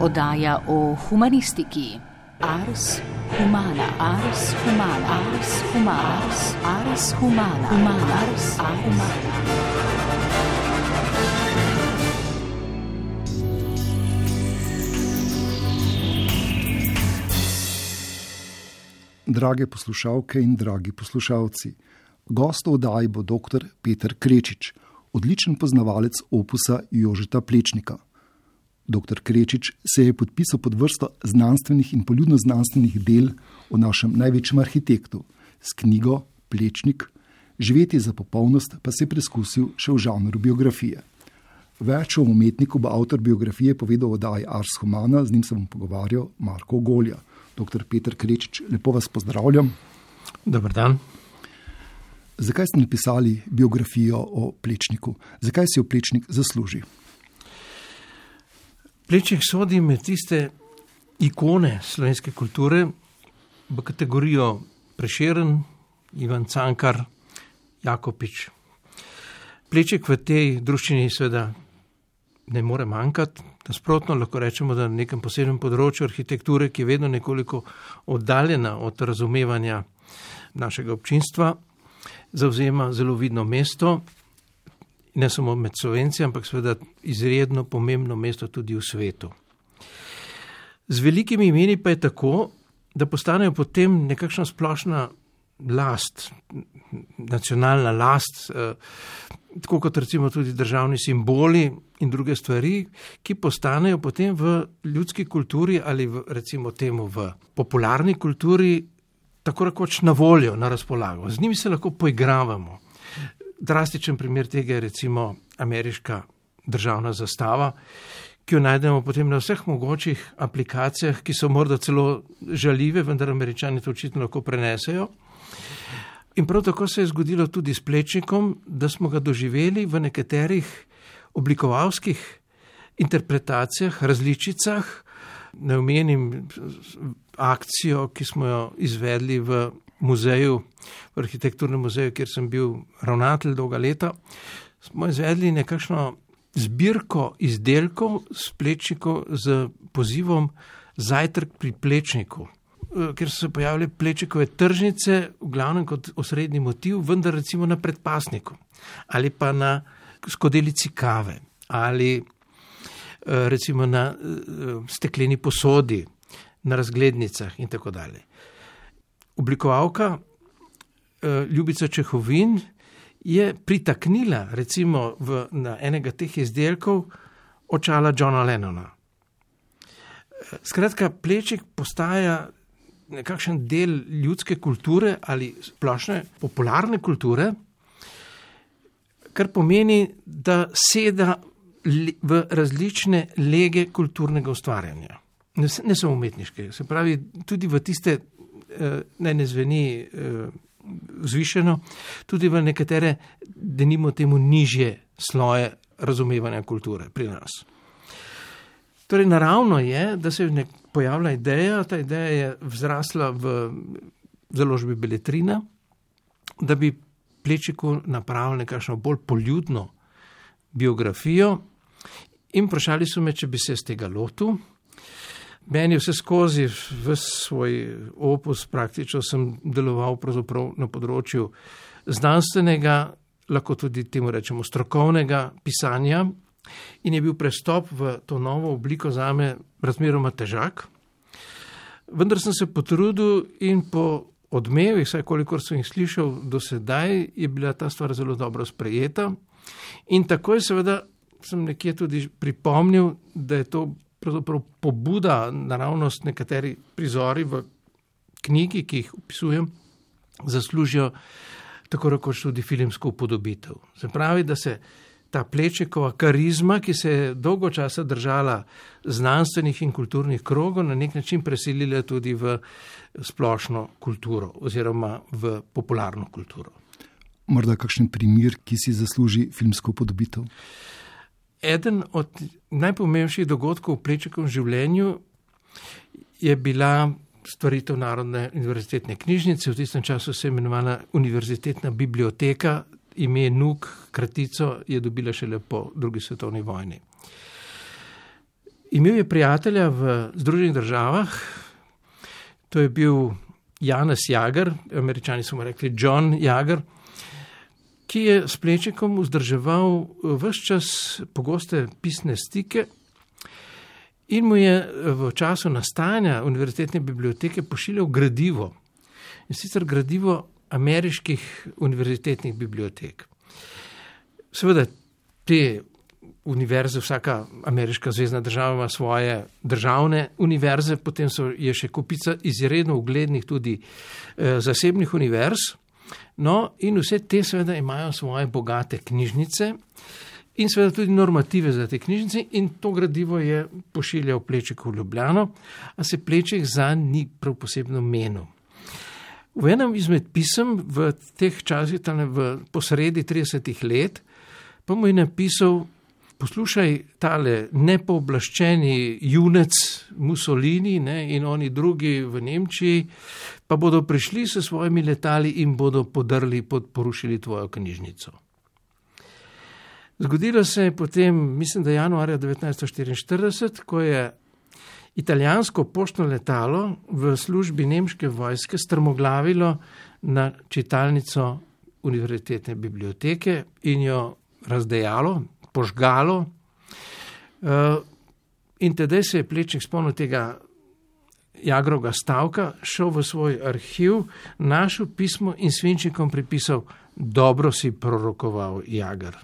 Oddaja o humanistiki. Ars humana, ars humana, ars humana, ars humana, ars humana. Drage poslušalke in dragi poslušalci, gost v oddaji bo dr. Peter Krečič, odličen poznavalec opusa Jožeta Plečnika. Dr. Krečič se je podpisal pod vrsto znanstvenih in poljudno-znanstvenih del o našem največjem arhitektu. S knjigo Plečnik, živeti za popolnost, pa se je preskusil še v žanru biografije. Več o umetniku bo avtor biografije povedal v oddaji Ars humana, z njim se bom pogovarjal Marko Golja. Dr. Peter Krečič, lepo vas pozdravljam. Dobar dan. Zakaj ste napisali biografijo o Plečniku? Zakaj si jo Plečnik zasluži? Plečnik sodi med tiste ikone slovenske kulture v kategorijo Prešeren, Ivan Cankar, Jakopič. Plečnik v tej druščini seveda ne more manjkati. Nasprotno lahko rečemo, da na nekem posebnem področju arhitekture, ki je vedno nekoliko oddaljena od razumevanja našega občinstva, zavzema zelo vidno mesto, ne samo med Slovenci, ampak seveda izredno pomembno mesto tudi v svetu. Z velikimi imeni pa je tako, da postanejo potem nekakšna splošna last, nacionalna last, tako kot recimo tudi državni simboli in druge stvari, ki postanejo potem v ljudski kulturi ali recimo temu v popularni kulturi tako rekoč na voljo, na razpolago. Z njimi se lahko poigravamo. Drastičen primer tega je recimo ameriška državna zastava, ki jo najdemo potem na vseh mogočih aplikacijah, ki so morda celo žaljive, vendar Američani to očitno lahko prenesejo. In prav tako se je zgodilo tudi s Plečnikom, da smo ga doživeli v nekaterih oblikovalskih interpretacijah, različicah. Ne omenim akcijo, ki smo jo izvedli v muzeju, v arhitekturnem muzeju, kjer sem bil ravnatelj dolga leta. Smo izvedli nekakšno zbirko izdelkov s Plečnikom z pozivom Zajtrk pri Plečniku, kjer so se pojavile Plečnikove tržnice, v glavnem kot osrednji motiv, vendar recimo na predpasniku ali pa na skodelici kave ali recimo na stekleni posodi, na razglednicah in tako dalje. Oblikovalka Ljubica Čehovin je pritaknila recimo na enega teh izdelkov očala Johna Lennona. Skratka, Plečnik postaja nekakšen del ljudske kulture ali splošne popularne kulture, kar pomeni, da seda v različne lege kulturnega ustvarjanja. Ne samo umetniške, se pravi tudi v tiste, ne zveni vzvišeno, tudi v nekatere, denimo temu nižje sloje razumevanja kulture pri nas. Torej, naravno je, da se pojavlja ideja, ta ideja je vzrasla v založbi Beletrina, da bi Plečniku napravili nekakšno bolj poljudno biografijo in vprašali so me, če bi se z tega lotil. Meni vse skozi v svoj opus praktično sem deloval pravzaprav na področju znanstvenega, lahko tudi temu rečemo strokovnega pisanja, in je bil prestop v to novo obliko zame razmeroma težak. Vendar sem se potrudil in po odmevih, vsaj kolikor sem jih slišal do sedaj, je bila ta stvar zelo dobro sprejeta. In takoj seveda sem nekje tudi pripomnil, da je to pravzaprav pobuda, naravnost nekateri prizori v knjigi, ki jih opisujem, zaslužijo tako rekoč tudi filmsko upodobitev. Se pravi, da se ta Plečnikova karizma, ki se je dolgo časa držala znanstvenih in kulturnih krogov, na nek način preselila tudi v splošno kulturo oziroma v popularno kulturo. Morda kakšen primer, ki si zasluži filmsko upodobitev? Eden od najpomembnejših dogodkov v Plečnikovem življenju je bila stvaritev Narodne univerzitetne knjižnice. V tistem času se je imenovala Univerzitetna biblioteka, ime NUK, kratico je dobila šele po drugi svetovni vojni. Imel je prijatelja v Združenih državah, to je bil Janez Jager, Američani so mu rekli John Jager, ki je s Plečnikom vzdrževal ves čas pogoste pisne stike in mu je v času nastajanja univerzitetne biblioteke pošiljal gradivo. In sicer gradivo ameriških univerzitetnih bibliotek. Seveda te univerze, vsaka ameriška zvezna država ima svoje državne univerze, potem je še kupica izredno uglednih tudi zasebnih univerz. No, in vse te seveda imajo svoje bogate knjižnice in seveda tudi normative za te knjižnice in to gradivo je pošiljal Plečnik v Ljubljano, a se Plečnik zanj ni prav posebno menil. V enem izmed pisem v teh časih, po sredi 30 let, pa mu je napisal: poslušaj, tale nepooblaščeni junec Mussolini, in oni drugi v Nemčiji, pa bodo prišli s svojimi letali in bodo porušili tvojo knjižnico. Zgodilo se je potem, mislim, da januarja 1944, ko je italijansko poštno letalo v službi nemške vojske strmoglavilo na čitalnico univerzitetne biblioteke in jo razdejalo, požgalo. In tedaj se je Plečnik spomnil tega Jagrovega stavka, šel v svoj arhiv, našel pismo in svinčnikom pripisal: dobro si prorokoval, Jager.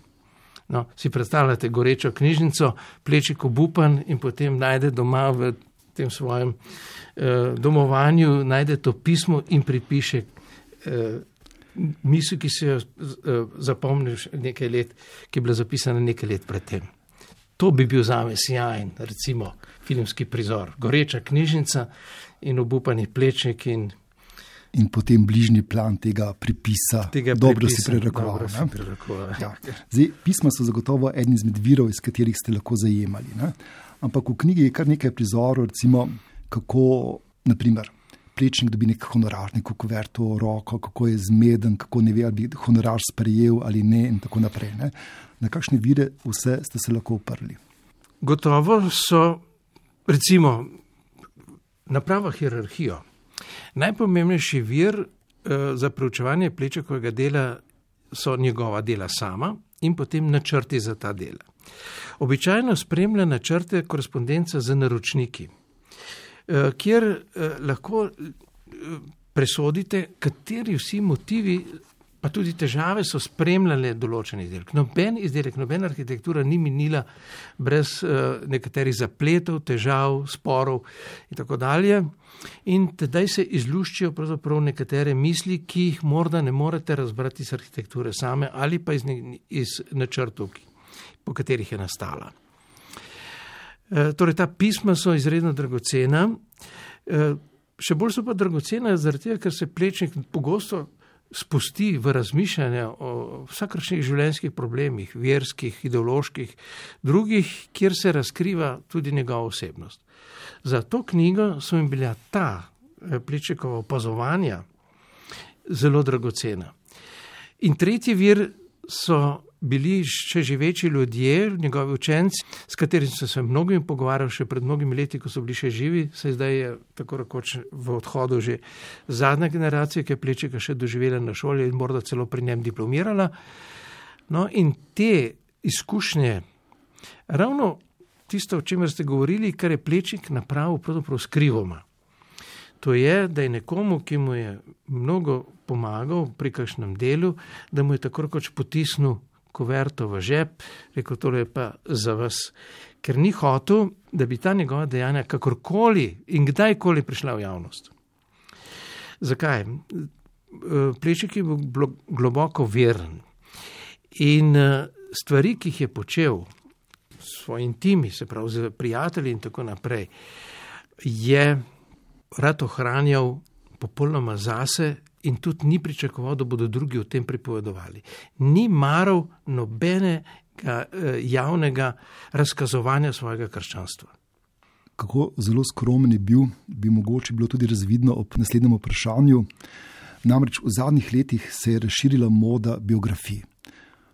No, si predstavljate gorečo knjižnico, Plečnik obupan in potem najde doma v tem svojem domovanju, najde to pismo in pripiše misel, ki se jo zapomnil nekaj let, ki je bila zapisana nekaj let predtem. To bi bil zame sjajen, recimo, filmski prizor. Goreča knjižnica in obupani Plečnik in potem bližnji plan tega pripisa. Dobro si prerakoval. Ja. Zdaj, pisma so zagotovo eden izmed virov, iz katerih ste lahko zajemali. Ne? Ampak v knjigi je kar nekaj prizorov, recimo, kako, naprimer, Plečnik dobi nek honorar, neko kuverto v roko, kako je zmeden, kako ne ve, ali bi honorar sprejel ali ne in tako naprej. Ne? Na kakšne vire vse ste se lahko oprli? Gotovo so, recimo, naprava hierarhijo. Najpomembnejši vir za preučevanje Plečnikovega dela so njegova dela sama in potem načrti za ta dela. Običajno spremlja načrte korespondenca z naročniki, kjer lahko presodite, kateri vsi motivi, pa tudi težave so spremljale določen izdelek. Noben izdelek, nobena arhitektura ni minila brez nekaterih zapletov, težav, sporov in tako dalje. In tedaj se izluščijo pravzaprav nekatere misli, ki jih morda ne morete razbrati iz arhitekture same ali pa iz načrtov, po katerih je nastala. Torej, ta pisma so izredno dragocena. Še bolj so pa dragocena zaradi tega, ker se Plečnik pogosto spusti v razmišljanje o vsakršnih življenjskih problemih, verskih, ideoloških, drugih, kjer se razkriva tudi njegova osebnost. Za to knjigo so jim bila ta Plečnikova opazovanja zelo dragocena. In tretji vir so bili še živeči ljudje, njegovi učenci, s katerimi so se mnogimi pogovarjali še pred mnogimi leti, ko so bili še živi, saj zdaj je tako rekoč v odhodu že zadnja generacija, ki je Plečnika še doživela na šoli in morda celo pri njem diplomirala. No, in te izkušnje, ravno tisto, o čemer ste govorili, kar je Plečnik napravil pravzaprav skrivoma. To je, da je nekomu, ki mu je mnogo pomagal pri kakšnem delu, da mu je tako rekoč potisnil kuverto v žep, rekel, tole je pa za vas, ker ni hotel, da bi ta njegova dejanja kakorkoli in kdajkoli prišla v javnost. Zakaj? Plečnik je bil globoko veren in stvari, ki jih je počel s svojim timi, se pravi z prijatelji in tako naprej, je rad ohranjal popolnoma zase in tudi ni pričakoval, da bodo drugi o tem pripovedovali. Ni maral nobenega javnega razkazovanja svojega krščanstva. Kako zelo skromen je bil, bi mogoče bilo tudi razvidno ob naslednjem vprašanju. Namreč v zadnjih letih se je razširila moda biografij.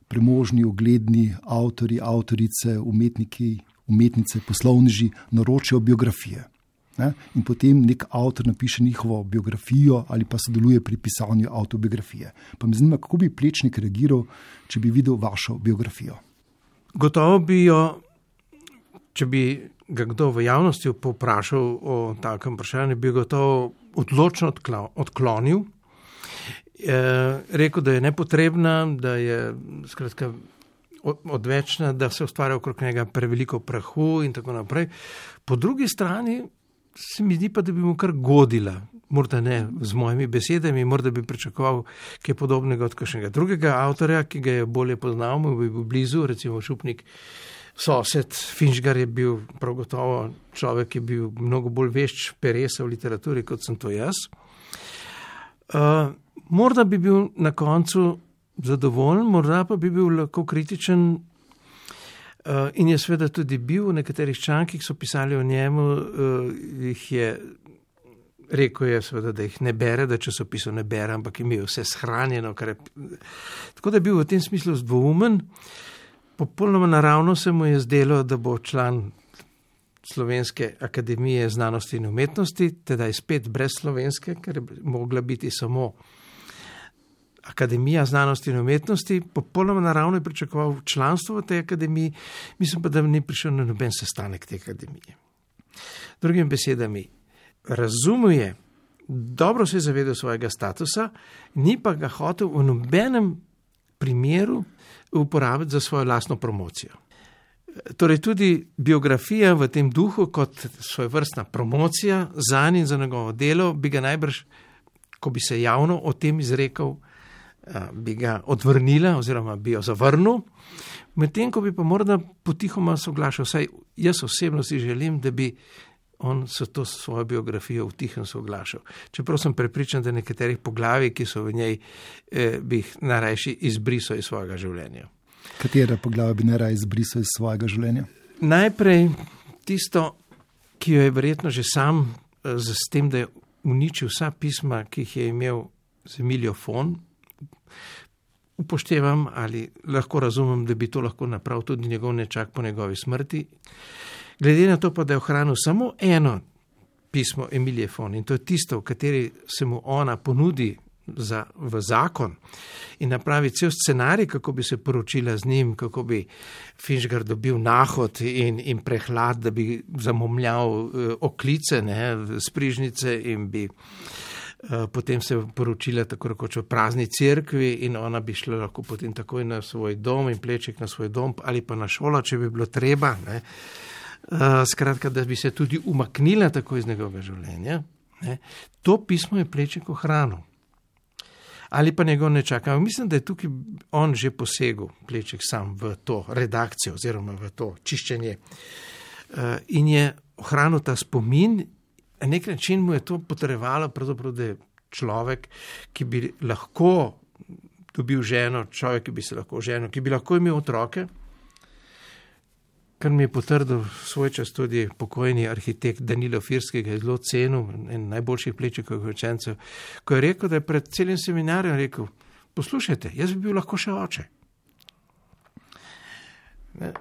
Premožni, ugledni avtorji, avtorice, umetniki, umetnice, poslovneži naročijo biografije. In potem nek avtor napiše njihovo biografijo ali pa sodeluje pri pisanju avtobiografije. Pa me zanima, kako bi Plečnik reagiral, če bi videl vašo biografijo. Gotovo bi jo, če bi ga kdo v javnosti povprašal o takem vprašanju, bi gotovo odločno odklonil. Rekel, da je nepotrebna, da je skratka odvečna, da se ustvarja okrog njega preveliko prahu in tako naprej. Po drugi strani se mi zdi pa, da bi mu kar godila, morda ne z mojimi besedami, morda bi pričakoval kaj podobnega od kakšnega drugega avtorja, ki ga je bolje poznal, mu bi bil blizu, recimo Šupnik, sosed Finžgar je bil prav gotovo človek, ki je bil mnogo bolj vešč peresa v literaturi, kot sem to jaz. Morda bi bil na koncu zadovoljen, morda pa bi bil lahko kritičen. In je seveda tudi bil v nekaterih člankih, so pisali o njemu, jih je rekel, je seveda, da jih ne bere, da časopisov ne bere, ampak imel vse shranjeno. Tako da je bil v tem smislu dvoumen. Popolnoma naravno se mu je zdelo, da bo član Slovenske akademije znanosti in umetnosti, teda je spet brez slovenske, ker je mogla biti samo Akademija znanosti in umetnosti. Popolnoma naravno je pričakoval članstvo v tej akademiji, mislim pa, da ni prišel na noben sestanek te akademije. Drugimi besedami, razumuje, dobro se je zavedal svojega statusa, ni pa ga hotel v nobenem primeru uporabiti za svojo lastno promocijo. Torej tudi biografija v tem duhu kot svojevrstna promocija zanj in za njegovo delo bi ga najbrž, ko bi se javno o tem izrekel, bi ga odvrnila oziroma bi jo zavrnil, medtem ko bi pa morda potihoma soglašal, saj jaz osebno si želim, da bi on s to svojo biografijo v tihem soglašal. Čeprav sem prepričan, da nekaterih poglavij, ki so v njej, bi jih najrajši izbrisal iz svojega življenja. Katera poglavja bi najraje izbrisal iz svojega življenja? Najprej tisto, ki jo je verjetno že sam s tem, da je uničil vsa pisma, ki jih je imel z Emilijo Fon, upoštevam ali lahko razumem, da bi to lahko napravil tudi njegov nečak po njegovi smrti. Glede na to pa, da je ohranil samo eno pismo Emilije Fon in to je tisto, v kateri se mu ona ponudi v zakon in napravi cel scenarij, kako bi se poročila z njim, kako bi Finžgar dobil nahod in prehlad, da bi zamomljal oklice, sprižnice in bi potem se poročila tako rekoč v prazni cerkvi in ona bi šla lahko potem takoj na svoj dom in Plečnik na svoj dom ali pa na šolo, če bi bilo treba. Skratka, da bi se tudi umaknila tako iz njegovega življenja. To pismo je Plečnik ohranil. Ali pa njegov nečak. Mislim, da je tukaj on že posegel, Plečnik sam, v to redakcijo oziroma v to čiščenje. In je ohranil ta spomin. Na nek način mu je to potrjevalo, da je človek, ki bi lahko dobil ženo, človek, ki bi se lahko ženil, ki bi lahko imel otroke, kar mi je potrdil svoj čas tudi pokojni arhitekt Danilo Firski, ki je zelo cenil, en najboljših Plečnikovih učencev, ko je rekel, da je pred celim seminarjem rekel, poslušajte, jaz bi bil lahko še oče.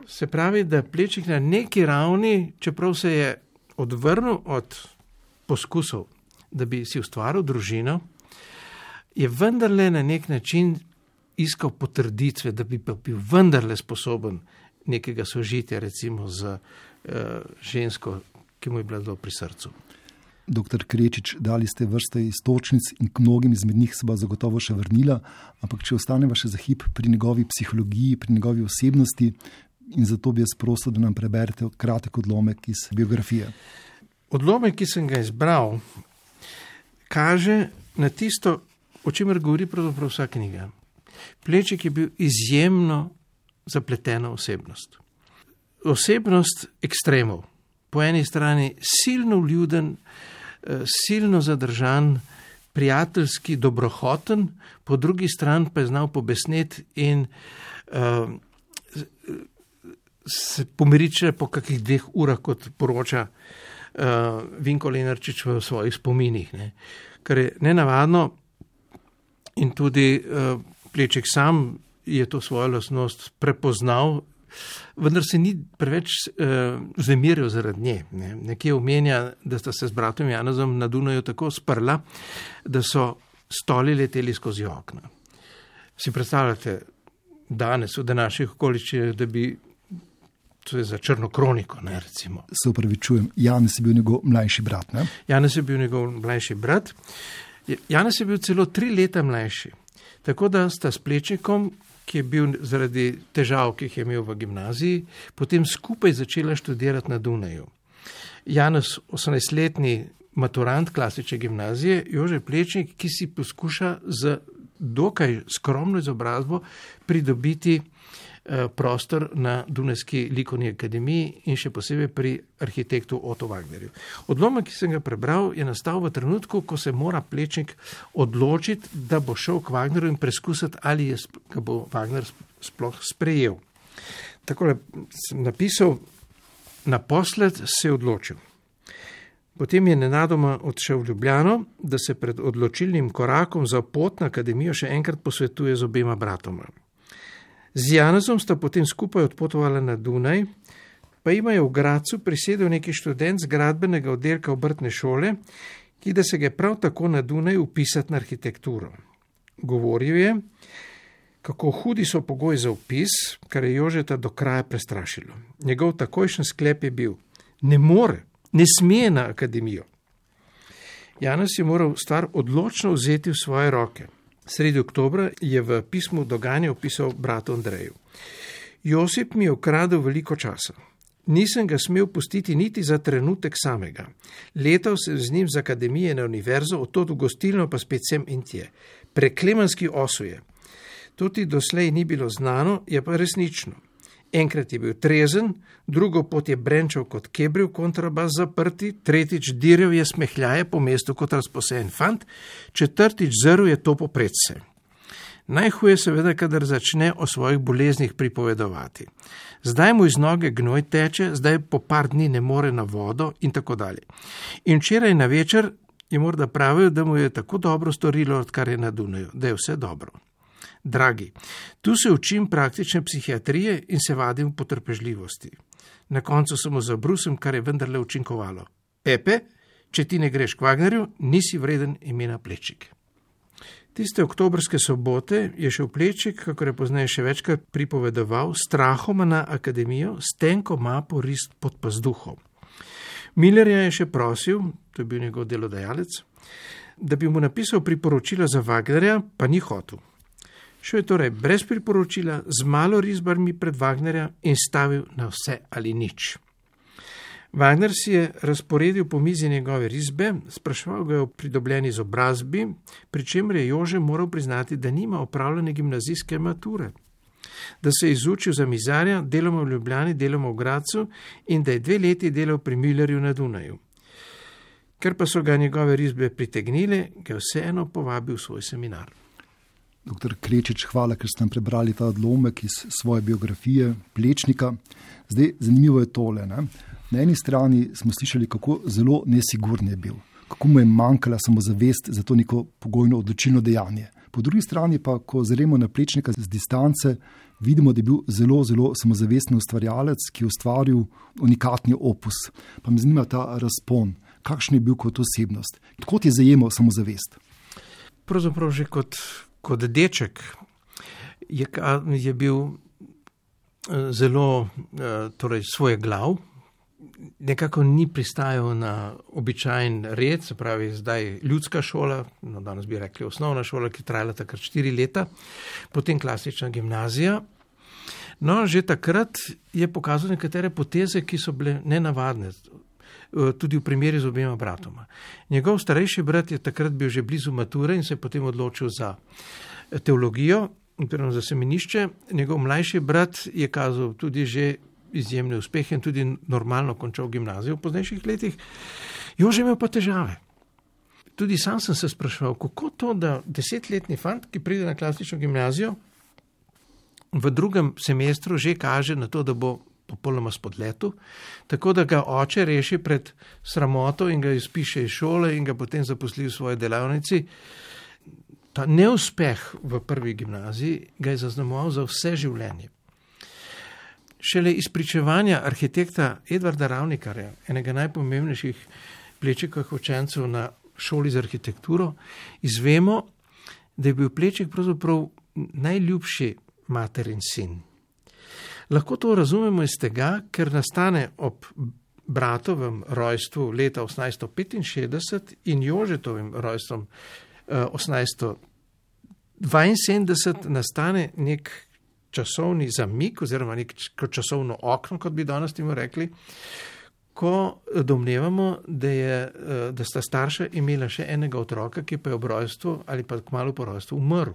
Se pravi, da Plečnik na neki ravni, čeprav se je odvrnil od poskusov, da bi si ustvaril družino, je vendarle na nek način iskal potrditve, da bi pa bil vendarle sposoben nekega sožitja, recimo z žensko, ki mu je bila zelo pri srcu. Doktor Krečič, dali ste vrste iztočnic in k mnogim izmed njih se bo zagotovo še vrnila, ampak če ostaneva še za hip pri njegovi psihologiji, pri njegovi osebnosti, in zato bi jaz prosil, da nam preberete kratek odlomek iz biografije. Odlomek, ki sem ga izbral, kaže na tisto, o čemer govori pravzaprav vsa knjiga. Plečnik je bil izjemno zapletena osebnost. Osebnost ekstremov. Po eni strani silno vljuden, silno zadržan, prijateljski, dobrohoten, po drugi strani pa je znal pobesneti in se pomiriti po kakih 2 urah, kot poroča Vinko Lenarčič v svojih spominih. Kar je nenavadno in tudi Plečnik sam je to svojo lastnost prepoznal vendar se ni preveč vznemiril zaradi nje. Nekje omenja, da sta se z bratom Janezom na Dunaju tako sprla, da so stoli leteli skozi okna. Si predstavljate danes v današnjih okoliščinah, da bi, to je za črno kroniko, ne, recimo. Se upravičujem, Janez je bil njegov mlajši brat, ne? Janez je bil njegov mlajši brat. Janez je bil celo 3 leta mlajši. Tako da sta s Plečnikom, ki je bil zaradi težav, ki jih je imel v gimnaziji, potem skupaj začela študirati na Dunaju. Janez, 18-letni maturant klasične gimnazije, Jože Plečnik, ki si poskuša z dokaj skromno izobrazbo pridobiti prostor na Dunajski likovni akademiji in še posebej pri arhitektu Otto Wagnerju. Odlomek, ki sem ga prebral, je nastal v trenutku, ko se mora Plečnik odločiti, da bo šel k Wagnerju in preskusiti, ali ga bo Wagner sploh sprejel. Takole sem napisal, naposled se je odločil. Potem je nenadoma odšel v Ljubljano, da se pred odločilnim korakom za pot na akademijo še enkrat posvetuje z obema bratoma. Z Janezom sta potem skupaj odpotovala na Dunaj, pa ima je v Gradcu prisedel neki študent z gradbenega oddelka obrtne šole, ki da se ga je prav tako na Dunaj upisati na arhitekturo. Govoril je, kako hudi so pogoji za upis, kar je Jožeta do kraja prestrašilo. Njegov takojšen sklep je bil, ne sme na akademijo. Janez je moral stvar odločno vzeti v svoje roke. Sredi oktobra je v pismu dogajanje opisal bratu Andreju. Josip mi je ukradel veliko časa. Nisem ga smel pustiti niti za trenutek samega. Letal sem z njim z akademije na univerzo, odtod v gostilno pa spet sem in tje. Preklemanski osuje. To ti doslej ni bilo znano, je pa resnično. Enkrat je bil trezen, drugo pot je brenčal kot kebril kontrabas zaprti, tretjič dirjal je smehljaje po mestu kot razposejen fant, četrtič zrl je to popredse. Najhuje seveda, kadar začne o svojih boleznih pripovedovati. Zdaj mu iz noge gnoj teče, zdaj po par dni ne more na vodo in tako dalje. In včeraj na večer je morda pravil, da mu je tako dobro storilo, odkar je na Dunaju, da je vse dobro. Dragi, tu se učim praktične psihiatrije in se vadim v potrpežljivosti. Na koncu samo zabrusem, kar je vendarle učinkovalo. Pepe, če ti ne greš k Wagnerju, nisi vreden imena Plečnik. Tiste oktobrske sobote je šel Plečnik, kakor je pozneje še večkrat pripovedoval, strahoma na akademijo, s tenko mapo rist pod pazduhom. Millerja je še prosil, to je bil njegov delodajalec, da bi mu napisal priporočila za Wagnerja, pa ni hotel. Šel je torej brez priporočila, z malo risbarmi pred Wagnerja in stavil na vse ali nič. Wagner si je razporedil po mizi njegove risbe, spraševal ga je o pridobljeni izobrazbi, pri čemer je Jože moral priznati, da nima opravljene gimnazijske mature, da se je izučil za mizarja, deloma v Ljubljani, deloma v Gradcu in da je 2 leti delal pri Millerju na Dunaju. Ker pa so ga njegove risbe pritegnile, ga je vseeno povabil v svoj seminar. Doktor Krečič, hvala, ker ste nam prebrali ta odlomek iz svoje biografije Plečnika. Zdaj, zanimivo je tole. Ne? Na eni strani smo slišali, kako zelo nesigurn je bil, kako mu je manjkala samozavest za to neko pogojno odločilno dejanje. Po drugi strani pa, ko zremo na Plečnika z distance, vidimo, da je bil zelo, zelo samozavesten ustvarjalec, ki je ustvaril unikatni opus. Pa me zanima ta razpon, kakšen je bil kot osebnost, kot je zajemal samozavest. Pravzaprav že kot deček je bil zelo torej svojeglav, nekako ni pristajal na običajen red, se pravi zdaj ljudska šola, no danes bi rekli osnovna šola, ki trajala takrat 4 leta, potem klasična gimnazija. No, že takrat je pokazal nekatere poteze, ki so bile nenavadne, tudi v primeri z obema bratoma. Njegov starejši brat je takrat bil že blizu mature in se je potem odločil za teologijo, oziroma za semenišče. Njegov mlajši brat je kazal tudi že izjemne uspehe in tudi normalno končal gimnazijo v poznejših letih. Jože imel pa težave. Tudi sam sem se spraševal, kako to, da 10-letni fant, ki pride na klasično gimnazijo, v drugem semestru že kaže na to, da bo popolnoma spodletu, tako da ga oče reši pred sramoto in ga izpiše iz šole in ga potem zaposli v svoji delavnici. Ta neuspeh v prvi gimnaziji ga je zaznamoval za vse življenje. šele iz pričevanja arhitekta Edvarda Ravnikarja, enega najpomembnejših Plečnikovih učencev na šoli za arhitekturo, izvemo, da je bil Plečnik pravzaprav najljubši materin sin. Lahko to razumemo iz tega, ker nastane ob bratovem rojstvu leta 1865 in Jožetovim rojstvom 1872 nastane nek časovni zamik oziroma neko časovno okno, kot bi danes temu rekli, ko domnevamo, da sta starša imela še enega otroka, ki pa je ob rojstvu ali pa kmalu po rojstvu umrl.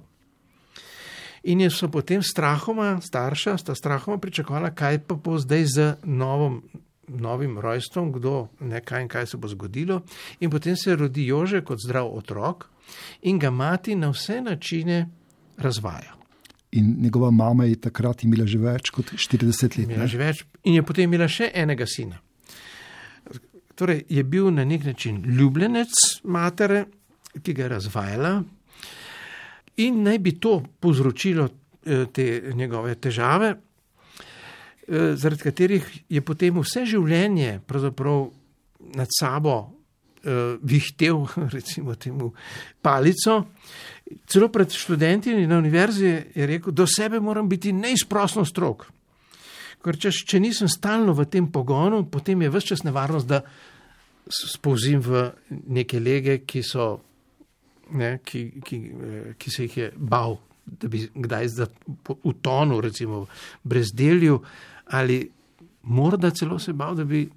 In so potem sta strahoma pričakovala, kaj pa bo zdaj z novim rojstvom, kaj se bo zgodilo. In potem se rodi Jože kot zdrav otrok in ga mati na vse načine razvaja. In njegova mama je takrat imela že več kot 40 let. Imela že več in je potem imela še enega sina. Torej je bil na nek način ljubljenec matere, ki ga je razvajala, in naj bi to povzročilo te njegove težave, zaradi katerih je potem vse življenje pravzaprav nad sabo vihtel, recimo temu, palico. Celo pred študenti na univerzi je rekel, do sebe moram biti neizprosno strog. Ker če nisem stalno v tem pogonu, potem je ves čas nevarnost, da spolzim v neke lege, ki se jih je bal, da bi kdaj utonil, recimo v brezdelju, ali morda celo se bal, da bi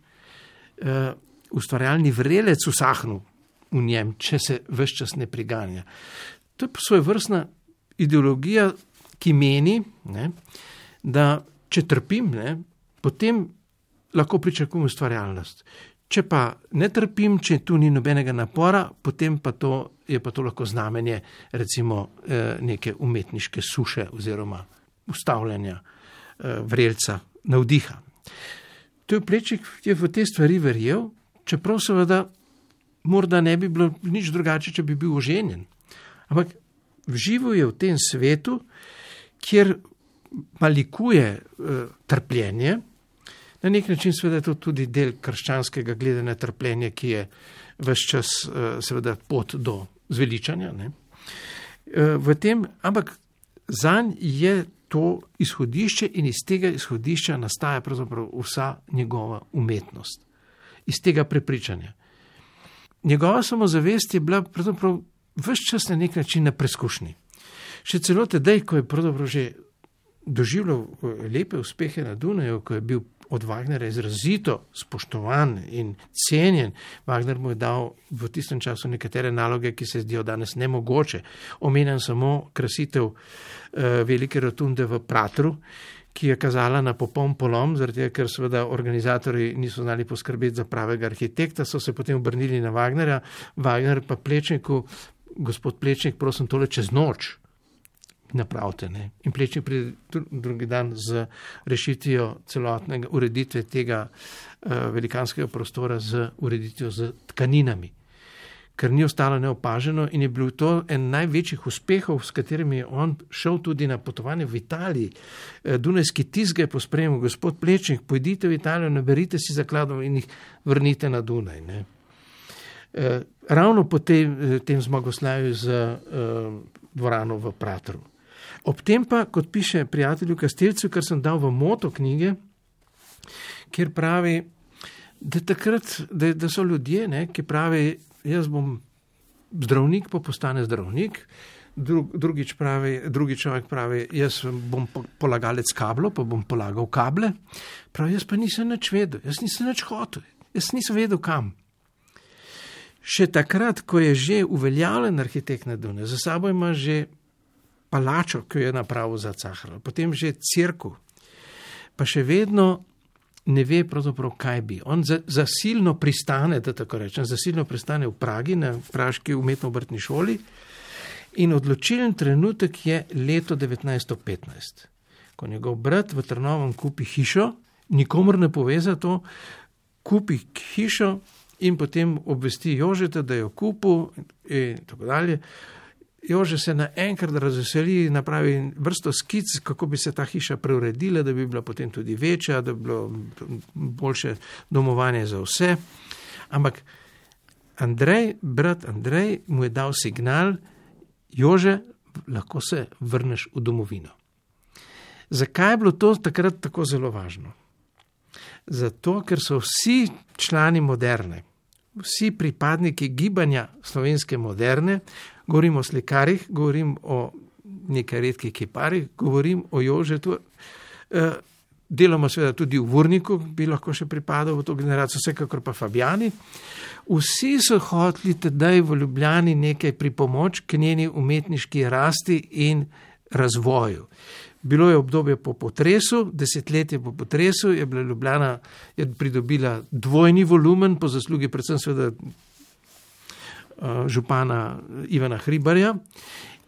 ustvarjalni vrelec usahnil v njem, če se ves čas ne priganja. To je svojevrstna ideologija, ki meni, da če trpim, potem lahko pričakujem ustvarjalnost. Če pa ne trpim, če tu ni nobenega napora, potem je pa to lahko znamenje recimo neke umetniške suše oziroma ustavljanja vrelca navdiha. To je Plečnik je v te stvari verjel, čeprav seveda morda ne bi bilo nič drugače, če bi bil oženjen. Ampak živel je v tem svetu, kjer malikuje trpljenje. Na nek način seveda je to tudi del krščanskega gledanja trpljenja, ki je ves čas seveda pot do zveličanja. Ampak zanj je to izhodišče in iz tega izhodišča nastaja pravzaprav vsa njegova umetnost. Iz tega prepričanja. Njegova samozavest je bila pravzaprav ves čas na nek način na preskušnji. Še celo tedaj, ko je pravzaprav že doživljal lepe uspehe na Dunaju, ko je bil od Wagnerja izrazito spoštovan in cenjen. Wagner mu je dal v tistem času nekatere naloge, ki se zdijo danes nemogoče. Omenjam samo krasitev velike rotunde v Pratru, ki je kazala na popoln polom, zaradi ker seveda organizatorji niso znali poskrbeti za pravega arhitekta, so se potem obrnili na Wagnerja. Wagner pa Plečniku, gospod Plečnik, prosim, tole čez noč napravite. In Plečnik pride drugi dan z rešitvijo celotnega ureditve tega velikanskega prostora z ureditvijo z tkaninami, ker ni ostalo neopaženo in je bil to en največjih uspehov, s katerimi je on šel tudi na potovanje v Italiji. Dunajski tisk ga je pospremil, gospod Plečnik, pojdite v Italijo, naberite si zakladov in jih vrnite na Dunaj. Ravno po tem zmagoslavju z dvorano v Pratru. Ob tem pa, kot piše prijatelju Kastelcu, kar sem dal v moto knjige, kjer pravi, da so ljudje, ki pravi, jaz bom zdravnik, pa postane zdravnik, drugi človek pravi, jaz bom polagalec kablov, pa bom polagal kable, pravi, jaz pa nisem nič vedel, jaz nisem nič hotel, jaz nisem vedel kam. Še takrat, ko je že uveljavljen arhitekt na Dunaju, za sabo ima že palačo, ki jo je napravil za Cahrala, potem že cerkev, pa še vedno ne ve pravzaprav, kaj bi. On zasilno pristane, da tako rečem, v Pragi, na praški umetno-obrtni šoli in odločilen trenutek je leto 1915, ko njegov brat v Trnovem kupi hišo, nikomor ne pove za to, kupi hišo in potem obvesti Jožeta, da jo kupil in tako dalje. Jože se naenkrat razveseli, napravi vrsto skic, kako bi se ta hiša preuredila, da bi bila potem tudi večja, da bi bilo boljše domovanje za vse. Ampak brat Andrej mu je dal signal, Jože, lahko se vrneš v domovino. Zakaj je bilo to takrat tako zelo važno? Zato, ker so vsi člani Moderne, vsi pripadniki gibanja slovenske Moderne, govorim o slikarjih, govorim o nekaj redkih kiparjih, govorim o Jožetu, deloma seveda tudi v Vurniku bi lahko še pripadal v to generacijo, vsekakor pa Fabijani. Vsi so hoteli tedaj v Ljubljani nekaj pripomoč k njeni umetniški rasti in razvoju. Bilo je obdobje po potresu, desetletje po potresu, je bila Ljubljana pridobila dvojni volumen, po zaslugi predvsem seveda župana Ivana Hribarja.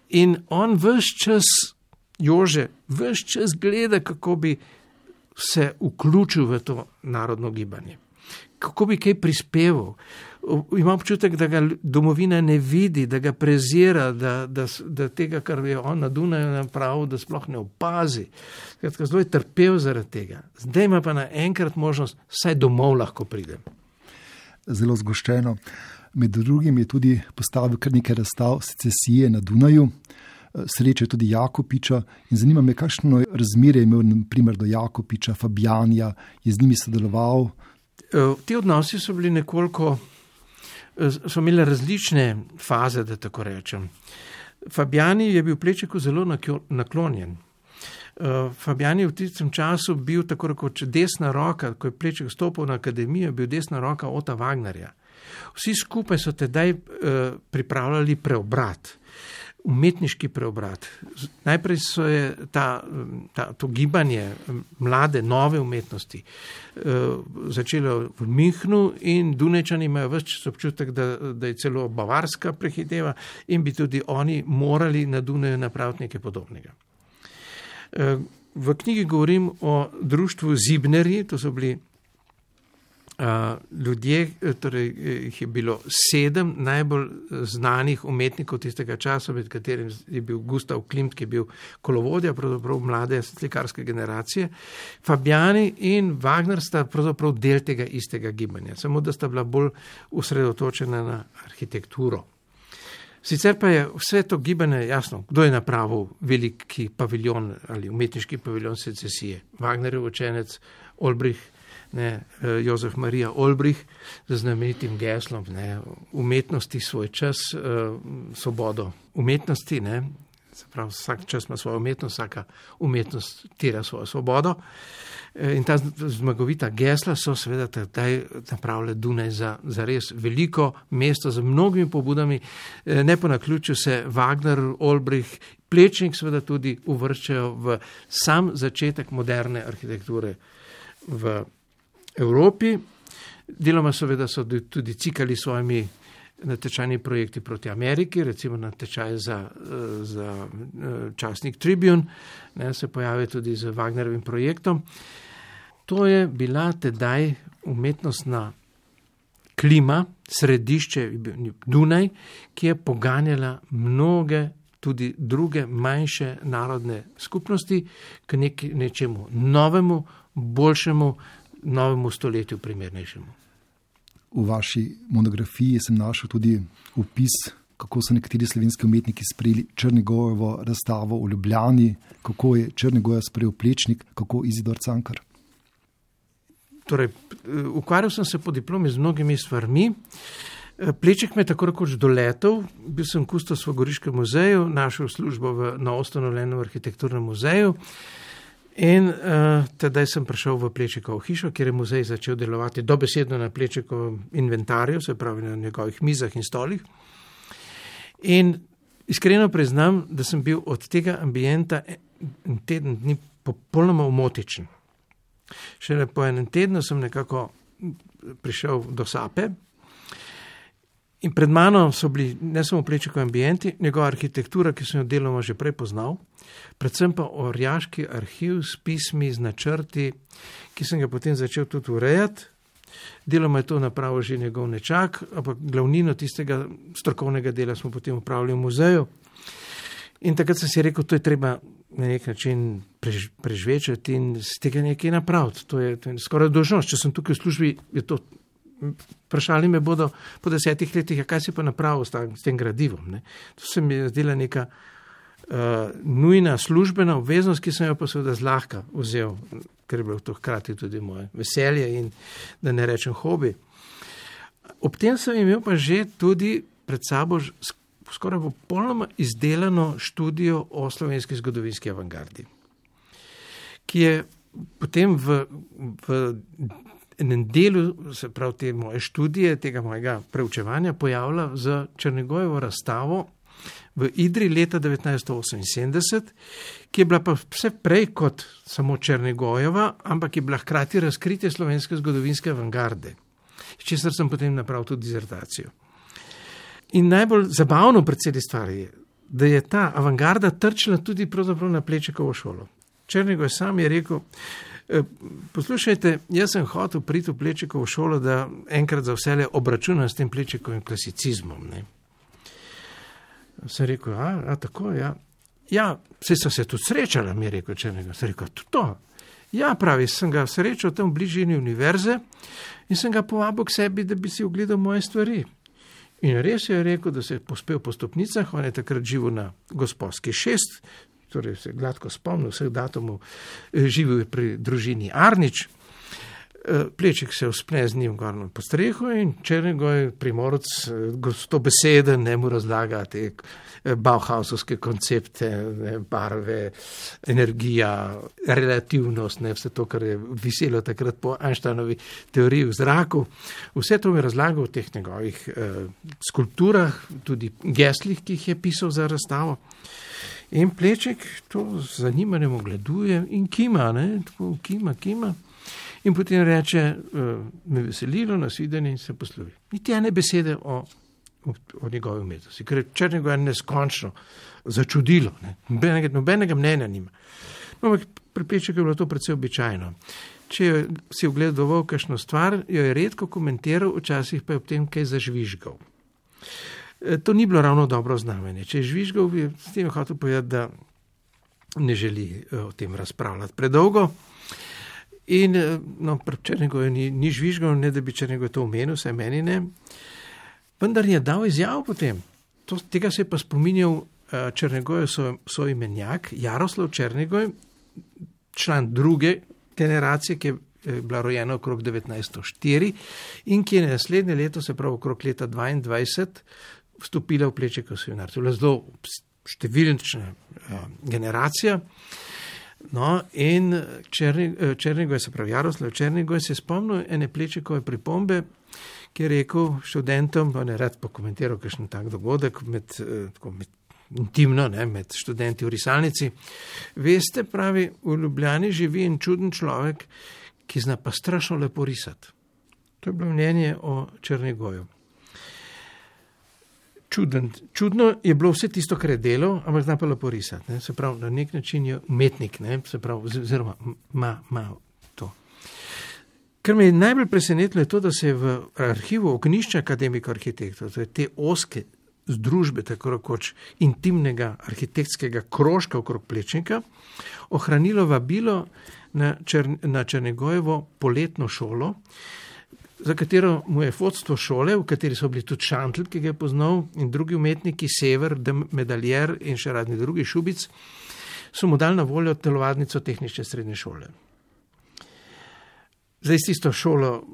In on ves čas, Jože, ves čas gleda, kako bi se vključil v to narodno gibanje. Kako bi kaj prispeval. Imam občutek, da ga domovina ne vidi, da ga prezira, da tega, kar je on na Dunaju napravil, da sploh ne opazi. Zelo je trpel zaradi tega. Zdaj ima pa naenkrat možnost, saj domov lahko pridem. Zelo zgoščeno. Med drugim je tudi postavil kar nekaj razstav secesije na Dunaju, sreče tudi Jakopiča in zanima me, kakšno razmerje je imel naprimer do Jakopiča, Fabijanja, je z njimi sodeloval. Ti odnosi so bili nekoliko, so imeli različne faze, da tako rečem. Fabijani je bil Plečniku zelo naklonjen. Fabijani je v tistem času bil tako rekoč desna roka, ko je Plečnik stopil na akademijo, bil desna roka Ota Wagnerja. Vsi skupaj so tedaj pripravljali preobrat, umetniški preobrat. Najprej so je to gibanje mlade, nove umetnosti začelo v Münchnu in Dunajčani imajo ves čas občutek, da je celo Bavarska prehiteva in bi tudi oni morali na Dunaju napraviti nekaj podobnega. V knjigi govorim o društvu Zibnerji, to so bili ljudje, torej jih je bilo 7 najbolj znanih umetnikov tistega časa, med katerim je bil Gustav Klimt, ki je bil kolovodja pravzaprav mlade slikarske generacije. Fabijani in Wagner sta pravzaprav del tega istega gibanja, samo da sta bila bolj usredotočena na arhitekturo. Sicer pa je vse to gibanje jasno, kdo je napravil veliki paviljon ali umetniški paviljon secesije. Wagnerjev učenec Olbrich, Jozef Marija Olbrich z znamenitim geslom umetnosti svoj čas, svobodo umetnosti. Pravi, vsak čas ima svojo umetnost, vsaka umetnost tira svojo svobodo. In ta zmagovita gesla so seveda tedaj napravile Dunaj za res veliko mesto z mnogimi pobudami. Ne po naključju se Wagner, Olbrich, Plečnik seveda tudi uvrščajo v sam začetek moderne arhitekture v Evropi. Deloma seveda so tudi cikali svojimi natečajni projekti proti Ameriki, recimo natečaj za časnik Tribune, se pojavi tudi z Wagnerovim projektom. To je bila tedaj umetnostna klima, središče Dunaj, ki je poganjala mnoge tudi druge manjše narodne skupnosti k nečemu novemu, boljšemu, novemu stoletju primernejšemu. V vaši monografiji sem našel tudi opis, kako so nekateri slovenski umetniki sprejeli Črnigojevo razstavo v Ljubljani, kako je Črnigoja sprejel Plečnik, kako Izidor Cankar. Torej, ukvarjal sem se po diplomi z mnogimi stvarmi. Plečnik me je tako rekoč doletel, bil sem kustos v Goriškem muzeju, našel službo v novoustanovljenem arhitekturnem muzeju. In tedaj sem prišel v Plečnikovo hišo, kjer je muzej začel delovati dobesedno na Plečnikovem inventarju, se pravi na njegovih mizah in stolih. In iskreno priznam, da sem bil od tega ambienta en teden dni popolnoma umotičen. Šele po enem tednu sem nekako prišel do Sape in pred mano so bili ne samo Plečnikovi ambienti, njegova arhitektura, ki sem jo deloma že prej poznal, predvsem pa orjaški arhiv s pismi, z načrti, ki sem ga potem začel tudi urejati. deloma je to napravil že njegov nečak, ampak glavnino tistega strokovnega dela smo potem upravili v muzeju. In takrat sem si rekel, to je treba na nek način prežvečati in z tega nekaj napraviti. To je skoraj dolžnost. Če sem tukaj v službi, je to, vprašali me bodo po 10 letih, kaj si pa napravil s tem gradivom. Ne? To se mi je zdela neka nujna službena obveznost, ki sem jo pa seveda zlahka vzel, ker je bilo to hkrati tudi moje veselje in da ne rečem hobi. Ob tem sem imel pa že tudi pred sabo skoraj popolnoma izdelano študijo o slovenski zgodovinski avangardi, ki je potem v enem delu, se pravi te moje študije, tega mojega preučevanja, pojavila z Černigojevo razstavo v Idri leta 1978, ki je bila pa vse prej kot samo Černigojeva, ampak je bila hkrati razkritje slovenske zgodovinske avangarde, s česar sem potem napravil tudi dizertacijo. In najbolj zabavno pri celi stvari je, da je ta avangarda trčila tudi pravzaprav na Plečnikovo šolo. Černigoj sam je rekel, poslušajte, jaz sem hotel priti v Plečnikovo šolo, da enkrat za vselej obračunam s tem Plečnikovim klasicizmom. Ne? Sem rekel, tako, ja. Ja, saj so se tudi srečala, mi je rekel Černigoj. Sem rekel, to. Ja, pravi, sem ga srečal tam v bližini univerze in sem ga povabil k sebi, da bi si ogledal moje stvari. In res je rekel, da se je pospel po stopnicah, on je takrat živel na Gosposki 6, torej se gladko spomnil vseh datumov, živel je pri družini Arnič, Plečnik se vzpne z njim gor po strehu in Černigoj, Primorec, gostobeseden, ne mu razlaga te bauhausovske koncepte, barve, energija, relativnost, vse to, kar je viselo takrat po Einsteinovi teoriji v zraku. Vse to mi razlaga v teh njegovih skulpturah, tudi geslih, ki jih je pisal za razstavo. In Plečnik to z zanimanjem ogleduje in kima, tako kima. In potem reče, me veselilo, nasvidenje in se poslovi. Niti ene besede o njegovi umetnosti, ker je Černigoj neskončno začudilo. Nobenega mnenja nima. No, pri Plečniku je bilo to precej običajno. Če si ogledoval kakšno stvar, jo je redko komentiral, včasih pa je ob tem kaj zažvižgal. To ni bilo ravno dobro znamenje. Če je žvižgal, bi s tem hotel povedati, da ne želi o tem razpravljati predolgo. In pri Černigoju ni žvižgal, ne da bi Černigoj to omenil, vsaj meni ne. Vendar je dal izjavo potem. Tega se je pa spominjal Černigojev soimenjak Jaroslav Černigoj, član druge generacije, ki je bila rojena okrog 1904 in ki je naslednje leto, se pravi okrog leta 22, vstopila v Plečnikov seminar. To je bila zelo številčna generacija. No, in Černigoj, se pravi Jaroslav Černigoj, se je spomnil ene Plečnikove pripombe, ki je rekel študentom, pa ne rad pokomentiral kakšen tak dogodek intimno, med študenti v risalnici. Veste, pravi, v Ljubljani živi en čuden človek, ki zna pa strašno lepo risati. To je bilo mnenje o Černigoju. Čudno je bilo vse tisto, kar je delal, ampak zna pa lepo risati. Se pravi, na nek način je umetnik, se pravi, oziroma ima to. Kar me je najbolj presenetilo je to, da se je v arhivu Ognjišča akademika arhitektov, to je te ozke združbe, tako rekoč intimnega arhitektskega krožka okrog Plečnika, ohranilo vabilo na Černigojevo poletno šolo, za katero mu je vodstvo šole, v kateri so bili tudi Šantl, ki ga je poznal, in drugi umetniki, Sever, Medaljer in še radni drugi Šubic, so mu dali na voljo telovadnico tehnične srednje šole. Zdaj s tisto šolo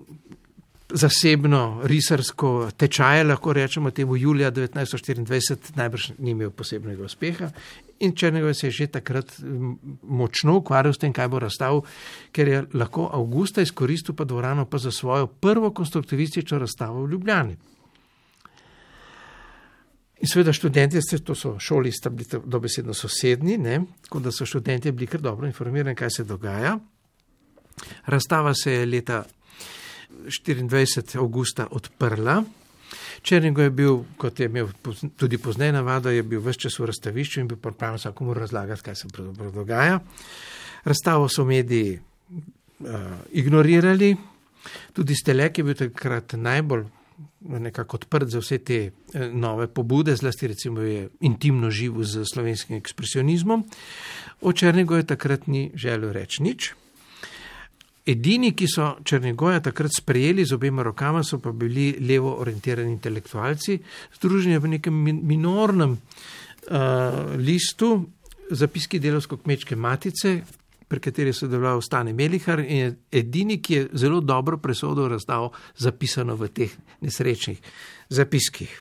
zasebno, risarsko tečaje, lahko rečemo temu julija 1924, najbrž ni imel posebnega uspeha in Černigoj se je že takrat močno ukvarjal s tem, kaj bo razstavil, ker je lahko avgusta izkoristil pa dvorano pa za svojo prvo konstruktivistično razstavo v Ljubljani. In seveda študenti, to so šoli, sta bili dobesedno sosednji, tako da so študenti bili kar dobro informirani, kaj se dogaja. Razstava se je leta 24. avgusta odprla. Černigoj je bil, kot je imel tudi pozneje navado, je bil ves čas v razstavišču in bil pripravljen vsakomu razlagati, kaj se pravzaprav dogaja. Razstavo so mediji ignorirali, Tudi Stelek je bil takrat najbolj nekako odprt za vse te nove pobude, zlasti recimo je intimno živel z slovenskim ekspresionizmom. O Černigoju takrat ni želel reči nič. Edini, ki so Černigoja takrat sprejeli z obema rokama, so pa bili levo orientirani intelektualci, združeni v nekem minornem listu, zapiski Delavsko-kmečke matice, pri kateri je sodeloval Stane Melihar in je edini, ki je zelo dobro presodo razdal zapisano v teh nesrečnih zapiskih.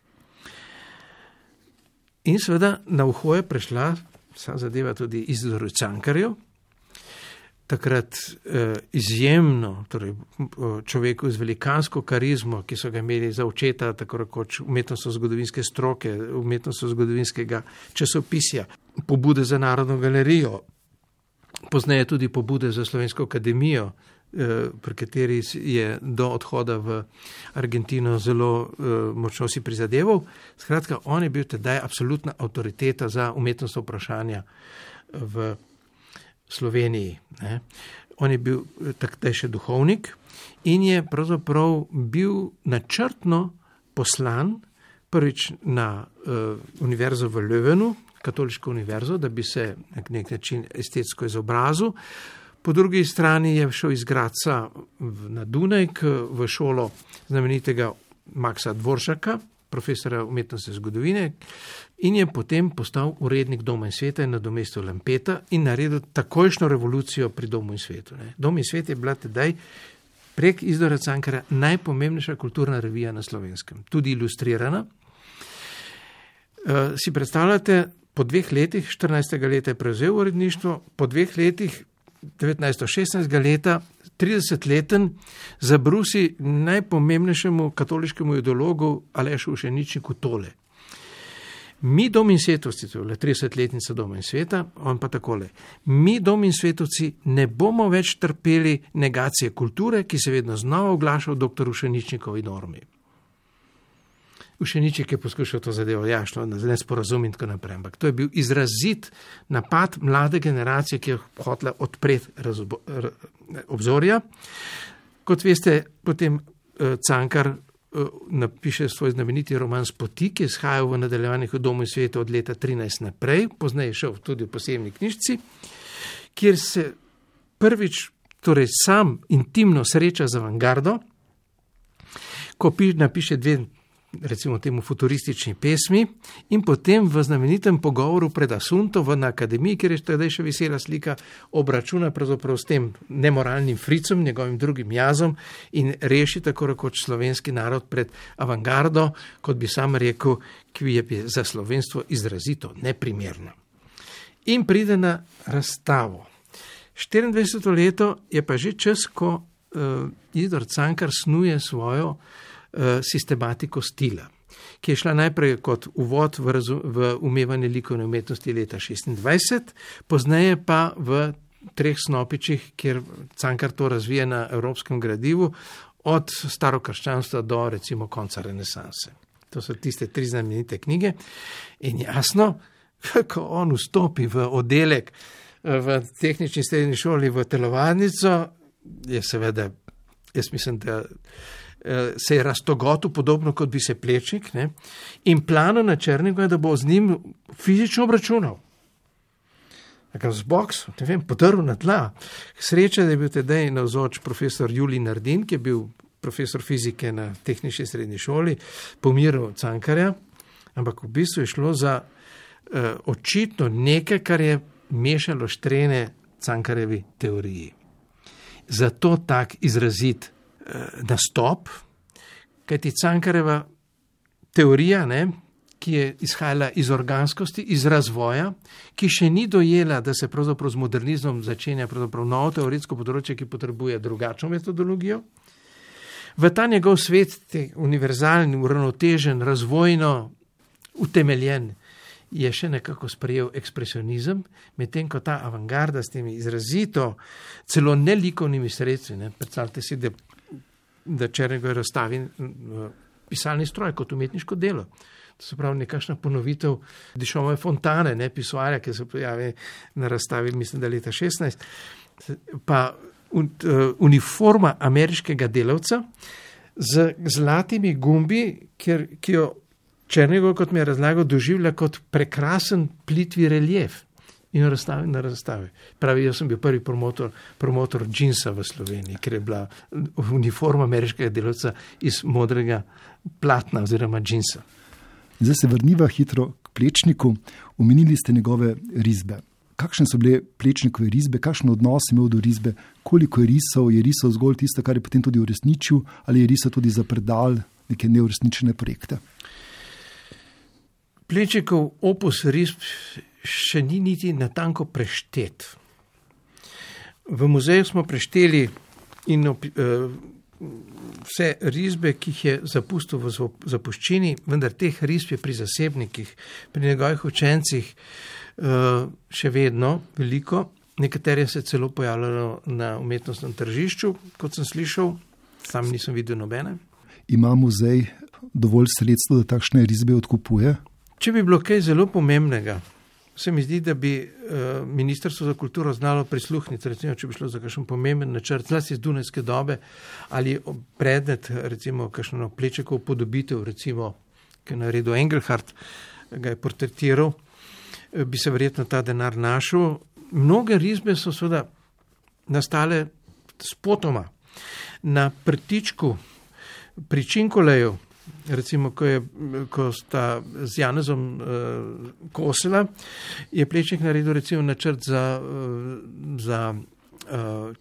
In seveda na uho je prešla vsa zadeva tudi Izidoru Cankarju, takrat izjemno, torej človeku z velikansko karizmo, ki so ga imeli za očeta, tako rekoč umetnostno-zgodovinske stroke, umetnostno-zgodovinskega časopisja, pobude za Narodno galerijo, pozneje tudi pobude za Slovensko akademijo, pri kateri je do odhoda v Argentino zelo močno si prizadeval. Skratka, on je bil tedaj absolutna avtoriteta za umetnostna vprašanja v Sloveniji. Ne. On je bil takrat še duhovnik in je pravzaprav bil načrtno poslan prvič na univerzo v Löwenu, katoliško univerzo, da bi se na nek način estetsko izobrazil. Po drugi strani je šel iz Gradca na Dunaj v šolo znamenitega Maxa Dvoršaka, profesora umetnostne zgodovine, in je potem postal urednik Doma in sveta in nadomestil Lampeta in naredil takojšnjo revolucijo pri Domu in svetu. Ne. Dom in svet je bila tedaj prek Izidora Cankarja najpomembnejša kulturna revija na Slovenskem, tudi ilustrirana. Si predstavljate, po 2 letih, 14. leta je prevzel uredništvo, po 2 letih, 1916. leta, 30-leten, zabrusi najpomembnejšemu katoliškemu ideologu Alešu Ušeničniku tole. Mi Dom in svetovci, to je 30-letnica Doma in sveta, on pa takole. Mi Dom in svetovci ne bomo več trpeli negacije kulture, ki se vedno znova oglaša v dr. Ušeničnikovi normi. Ušeničnik je poskušal to zadevo jašno, nesporazum in tako naprej, ampak to je bil izrazit napad mlade generacije, ki je hotela odpreti obzorja. Kot veste, potem Cankar napiše svoj znameniti roman Spoti, ki je izhajal v nadaljevanjih v Domu in svetu od leta 13 naprej, pozneje šel tudi v posebni knjižci, kjer se prvič, torej sam intimno sreča z avangardo, ko napiše 2, recimo temu futuristični pesmi in potem v znamenitem pogovoru pred Asunto na akademiji, kjer je tedaj še visela slika, obračuna pravzaprav s tem nemoralnim fricom, njegovim drugim jazom in reši tako rekoč slovenski narod pred avangardo, kot bi sam rekel, ki je za slovenstvo izrazito neprimerno. In pride na razstavo. 24. leto je pa že čas, ko Izidor Cankar snuje svojo sistematiko stila, ki je šla najprej kot uvod v umevanje likovne umetnosti leta 26, pozneje pa v 3 snopičih, kjer Cankar to razvije na evropskem gradivu, od starokrščanstva do recimo konca renesanse. To so tiste 3 znamenite knjige in jasno, ko on vstopi v oddelek v tehnični srednji šoli v telovadnico, je seveda, jaz mislim, da se je raztogotil podobno, kot bi se Plečnik, ne? In plano na Černigu je, da bo z njim fizično obračunal. Tako z boks, ne vem, potrl na tla. Sreča, da je bil tedaj navzoč profesor Julij Nardin, ki je bil profesor fizike na tehnični srednji šoli, pomiril Cankarja, ampak v bistvu je šlo za očitno nekaj, kar je mešalo štrene Cankarjevi teoriji. Zato tak izrazit nastop, kajti Cankarjeva teorija, ne, ki je izhajala iz organskosti, iz razvoja, ki še ni dojela, da se pravzaprav z modernizmom začenja pravzaprav novo teoretsko področje, ki potrebuje drugačno metodologijo. V ta njegov svet, univerzalni, uravnotežen, razvojno utemeljen, je še nekako sprejel ekspresionizem, medtem ko ta avangarda s temi izrazito, celo nelikovnimi sredstvi, ne, predstavljate si, da Černigoj razstavi pisalni stroj kot umetniško delo. To se pravi nekakšna ponovitev Dišomove fontane, ne, pisoarja, ki se pojavi na razstavi, mislim, da leta 16, pa uniforma ameriškega delavca z zlatimi gumbi, ki jo Černigoj, kot mi je razlagal, doživlja kot prekrasen plitvi relief in jo razstavi na razstavi. Pravi, jaz sem bil prvi promotor džinsa v Sloveniji, ker je bila uniforma ameriškega delavca iz modrega platna oziroma džinsa. Zdaj se vrniva hitro k Plečniku. Omenili ste njegove risbe. Kakšne so bile Plečnikove risbe, kakšen odnos je imel do risbe, koliko je risal zgolj tisto, kar je potem tudi uresničil, ali je risal tudi za predal neke neuresničene projekte? Plečnikov opus risb še ni niti natanko preštet. V muzeju smo prešteli vse risbe, ki jih je zapustil v zapuščini, vendar teh risb je pri zasebnikih, pri njegovih učencih še vedno veliko. Nekatere se celo pojavljajo na umetnostnem tržišču, kot sem slišal, sam nisem videl nobene. Ima muzej dovolj sredstev, da takšne risbe odkupuje? Če bi bilo kaj zelo pomembnega, se mi zdi, da bi Ministrstvo za kulturo znalo prisluhniti, recimo, če bi šlo za kakšen pomemben načrt, zlasti iz dunajske dobe, ali predmet, recimo, kakšno Plečnikov podobitev, recimo, ki je naredil Engelhardt, ga je portretiral, bi se verjetno ta denar našel. Mnoge risbe so seveda nastale spotoma. Na prtičku pri Činkoleju, recimo, ko sta z Janezom kosila, je Plečnik naredil recimo načrt za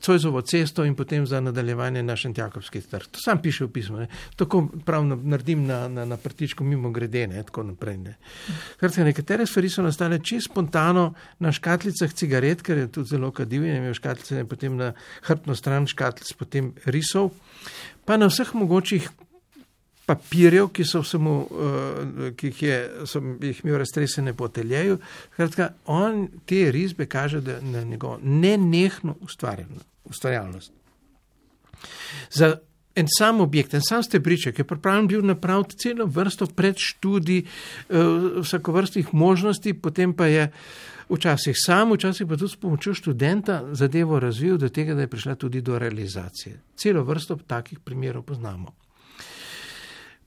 Cojzovo cesto in potem za nadaljevanje na Šentjakobski trg. To sam piše v pismu. Ne. Tako prav naredim na prtičku mimo grede, ne, tako naprej. Ne. Nekatere stvari so nastale čisto spontano na škatlicah cigaret, ker je tudi zelo kadil in je imel škatlice in potem na hrbtno stran škatlic potem risov, pa na vseh mogočih papirjev, ki jih imel raztresene po ateljeju. On te risbe kaže na njegovo nenehno ustvarjalnost. Za en sam objekt, en sam stebriček je pripravljen bil napraviti celo vrsto predštudij, vsakovrstnih možnosti, potem pa je včasih sam, včasih pa tudi s pomočjo študenta zadevo razvil do tega, da je prišla tudi do realizacije. Celo vrsto takih primerov poznamo.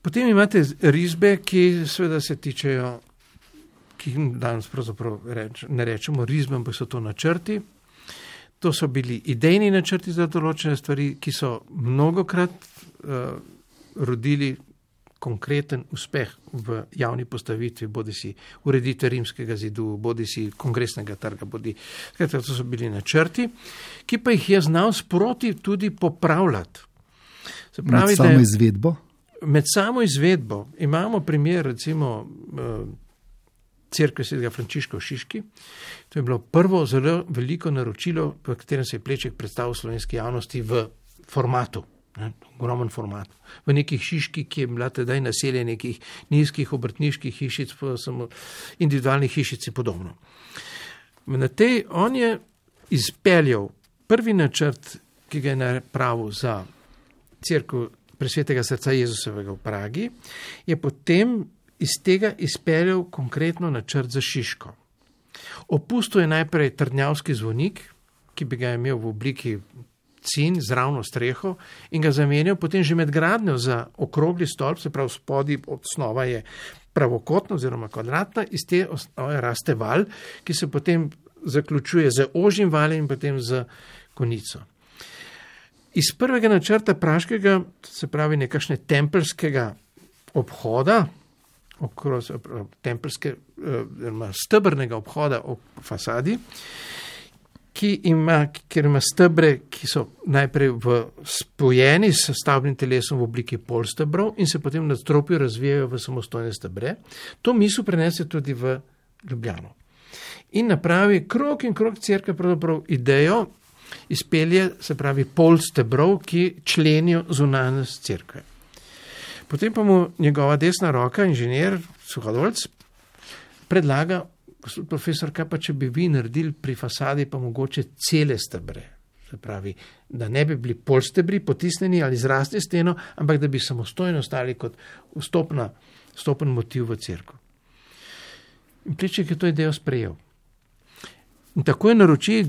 Potem imate risbe, ki seveda se tičejo, ki danes pravzaprav ne rečemo risbe, ampak so to načrti. To so bili idejni načrti za določene stvari, ki so mnogokrat rodili konkreten uspeh v javni postavitvi, bodisi ureditve Rimskega zidu, bodisi Kongresnega trga, to so bili načrti, ki pa jih je znal sproti tudi popravljati. Se pravi, med samo izvedbo? Med samo izvedbo imamo primer recimo Cerkve svetega Frančiška v Šiški. To je bilo prvo zelo veliko naročilo, v katerem se je Plečnik predstavil slovenski javnosti v formatu, ogromen format. V nekih hiški, ki je bila tedaj naselje nekih nizkih obrtniških hišic, samo individualnih hišic in podobno. On je izpeljal prvi načrt, ki ga je napravil za Cerkev Presvetega srca Jezusovega v Pragi, je potem iz tega izpeljal konkretno načrt za Šiško. Opustil je najprej trdnjavski zvonik, ki bi ga imel v obliki cin z ravno streho in ga zamenjal potem že med gradnjo za okrogli stolp, se pravi spodaj osnova je pravokotna oziroma kvadratna, iz te osnove raste val, ki se potem zaključuje z ožjim valjem in potem z konico. Iz prvega načrta praškega, se pravi nekakšne tempelskega obhoda, stebrnega obhoda ob fasadi, kjer ima stebre, ki so najprej spojeni s stavbnim telesom v obliki polstebrov in se potem na nadstropju razvijajo v samostojne stebre. To misel prenese tudi v Ljubljano. In napravi krog in krog cerkve, pravzaprav idejo, izpelje, se pravi, pol stebrov, ki členijo zunanjost cerkve. Potem pa mu njegova desna roka, inženir Suhadolc, predlaga, gospod profesor, kaj pa če bi vi naredili pri fasadi pa mogoče cele stebre. Se pravi, da ne bi bili pol stebri potisnjeni ali zrasli steno, ampak da bi samostojno ostali kot vstopen motiv v cerkev. In Plečnik je to idejo sprejel. In takoj naroči,